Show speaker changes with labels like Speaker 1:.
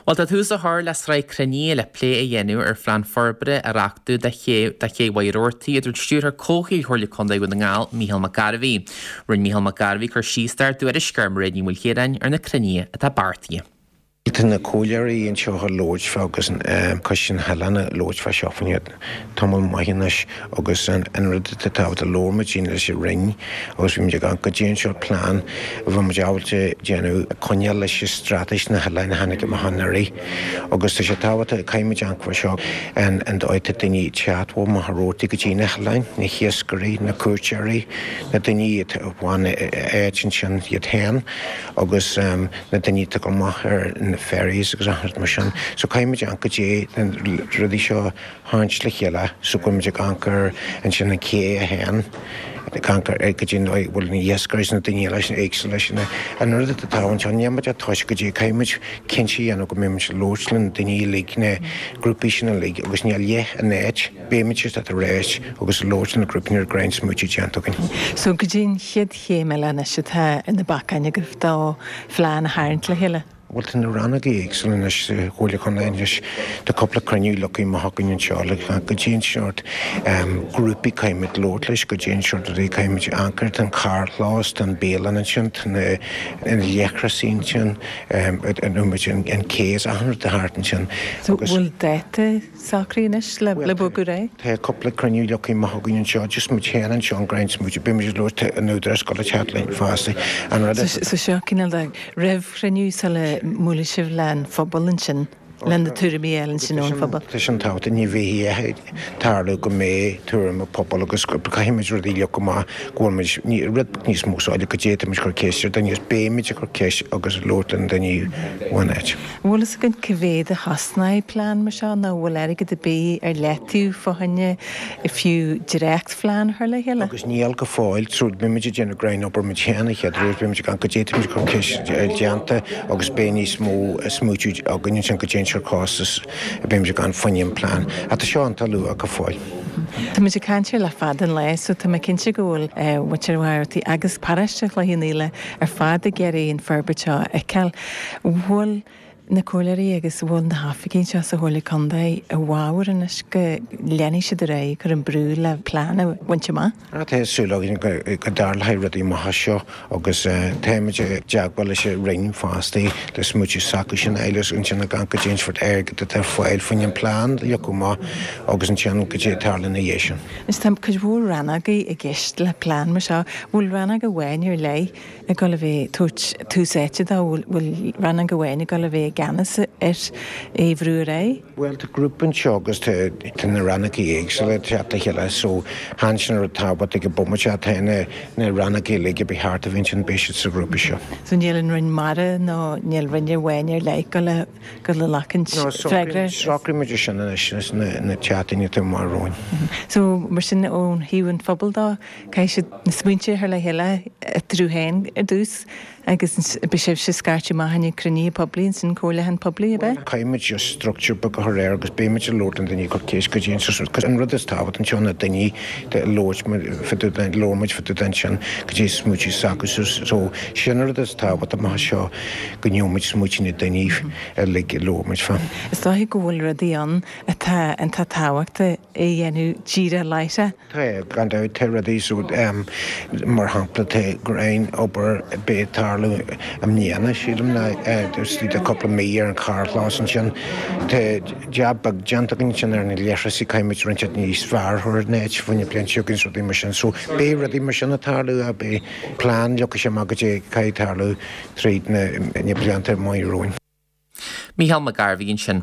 Speaker 1: Bhuel, tá tús á chur le sraith cruinnithe le plé a dhéanamh ar phlean forbartha a dhréachtú do ché do Ché Mhaigh Rabhartaigh, a dúirt Stiúrthóir Comhshaoil Chomhairle Contae Dhún na nGall, Mícheál Mac Gairbhí. Rinne Mícheál Mac Gairbhí cur síos dár dtuairisceoir, Mairéad Ní Mhaoilchiaráin, ar na cruinnithe atá beartaithe.
Speaker 2: Tá na comhairleoirí anseo ag labhairt fá agus coiste na hoileán ag labhairt fá seo fá tamall maith anois agus an rud atá tábhachtach labhair muid leis an Roinn agus bhí muid ag amharc goidé an sórt plean a bheadh muid ábalta déanamh ag coinneáil leis an straitéis na hoileáin a tháinig amach anuraidh agus tá sé tábhachtach caithfidh muid amharc fá seo an an dóigh atá daoine ag teacht ó Mhachaire Rabhartaigh go dtí na hoileáin, na hiascairí, na cuairteoirí, na daoine atá ag bhain áit ansin iad féin agus na daoine atá ag dul amach ar na ferries agus achan rud mar sin. So caithfidh muid amharc goidé na rudaí seo a tharraingt le chéile so go bhfuil muid ag amharc ar ansin an cé a théann ag amharc ar goidé an dóigh a bhfuil na hiascairí is na daoine eile sin éagsúil leis na an rud atá tábhachtach anseo níl muid ach toisc goidé caithfidh muid cinnte a dhéanamh go mbeidh muid ag labhairt le na daoine uilig na grúpaí sin uilig agus ní leith an áit beidh muid tar éis agus ag labhairt le na grúpaí nuair greann smaoitiú déanta againn.
Speaker 3: So goidé an chéad chéim eile anois atá ar na bacáin agaibh do phlean a tharraingt le chéile?
Speaker 2: Bhuel, tá na rannógaí éagsúla anois sa Chomhairle Contae anois. Tá cúpla cruinniú leagtha amach againn anseo le goidé an seort grúpaí caithfimid labhairt leis, goidé an seort rudaí caithfimid amharc air. Tá an carrchlós, tá an bialann ansin, tá na leithreasaí ansin, an cé is achan rud thart ansin.
Speaker 3: So bhfuil dáta socraithe anois le bogadh ar aghaidh?
Speaker 2: Tá cúpla cruinniú leagtha amach againn anseo, just muid féin anseo an Gráinne Smooch, beidh muid ag labhairt tá an Údarás ag dul a teacht linn fosta.
Speaker 3: An rud is. So seo cineál de réamhchruinniú sula mbuailfidh sibh le an phobal ansin, le na tuairimí a fháil ansin ón phobal.
Speaker 2: Tá sin tábhachtach, ní bheidh ag tarlú go mbeidh tuairim an pobal agus caithfidh muid rudaí a leagan amach go bhfuil muid, ní, rud beag níos mó soiléir goidé tá muid ag cur ceist ar daoine agus beidh muid ag cur ceist agus ag labhairt le na daoine ón áit.
Speaker 3: An bhfuil fhios againn cá mhéad a chosnóidh plean mar seo nó an bhfuil airgead ar bith ar leataobh fá choinne fiú dréachtphlean a chur le chéile?
Speaker 2: Agus níl go fóill, so beidh muid ag déanamh greann obair muid féin an chéad uair, beidh muid ag amharc goidé tá muid ag cur ceist déanta agus beidh níos mó smaoitiú againn ansin goidé an sórt costas a beidh muid ag amharc fá choinne an plean. Ach tá seo iontach luath go fóill.
Speaker 3: Tá muid ag caint air le fada an lá so tá mé cinnte go bhfuil muintir Mhachaire Rabhartaigh agus paróiste Chloich Cheann Fhaola ar fad ag iarraidh an forbairt seo a fheiceáil. Bhfuil na comhairleoirí agus bhfuil na hoifigigh anseo sa Chomhairle Contae i bhfabhar anois go leanfaidh siad ar aghaidh ag cur an brú le plean a bhaint amach?
Speaker 2: Tá súil againn go dtarlóidh rudaí maithe seo agus táimid i dteagmháil leis an Roinn fosta le smaoitiú s'acu sin a fháil agus ansin ag amharc goidé an sórt airgead atá ar fáil faoin an plean a leagadh amach agus ansin goidé a tarlaíonn ina dhiaidh sin.
Speaker 3: Anois tá cuid mhór rannógaí i gceist le plean mar seo. Bhfuil rannóg amháin ar leith ag dul a bheith ag tabhairt tús áite dó? Bhfuil rannóg amháin ag dul a bheith i gceannas ar é a bhrú ar aghaidh?
Speaker 2: Bhuel, tá grúpa anseo agus tá na rannógaí éagsúla ag teacht le chéile so chan sin an rud tábhachtach ag an bomaite ach tá na na rannógaí uilig a bheith thart a bheith ansin beidh siad sa ghrúpa seo.
Speaker 3: So níl an Roinn Mara nó níl roinn amháin ar leith ag dul a dul a ghlacaint freagra?
Speaker 2: Socraíonn muid é sin anois na tseachtainí atá amach romhainn.
Speaker 3: So mar sin ó thaobh an phobail dó, Caithfidh siad na smaointe a chur le chéile eatarthu féin ar dtús agus beidh sibhse ag scairteadh amach i ndiaidh cruinnithe poiblí ansin, comhairliúchán poiblí, ab ea?
Speaker 2: Caithfidh muid just structure beag a chur air agus beidh muid ag labhairt le daoine ag cur ceist goidé an sórt cos an rud is tábhacht anseo ná daoine ag labhairt fá dtaobh den labhair muid fá dtaobh den sin goidé smaoitiú s'acu so so sin an rud is tábhacht amach anseo go ngeobhaidh muid smaoitiú na daoine uilig a labhair muid fá.
Speaker 3: Is dóiche go bhfuil rudaí ann atá iontach tábhachtach a dhéanamh díreach láithreach.
Speaker 2: Tá, gan dabht, tá rudaí so, mar shampla, tá greann obair beidh ag tarlú i mbliana, sílim, ná istigh de cúpla mí ar an charrchlós ansin. Tá jab beag déanta againn ansin ar na leithreasaí, caithfidh muid roinnt níos fearr a chur ar an áit, fá choinne bliain seo chugainn is rudaí mar sin. So, beidh rudaí mar sin ag tarlú, beidh plean leagtha sé amach goidé caithfidh tarlú tríd na blianta amach romhainn.
Speaker 1: Mícheál Mac Gairbhí ansin.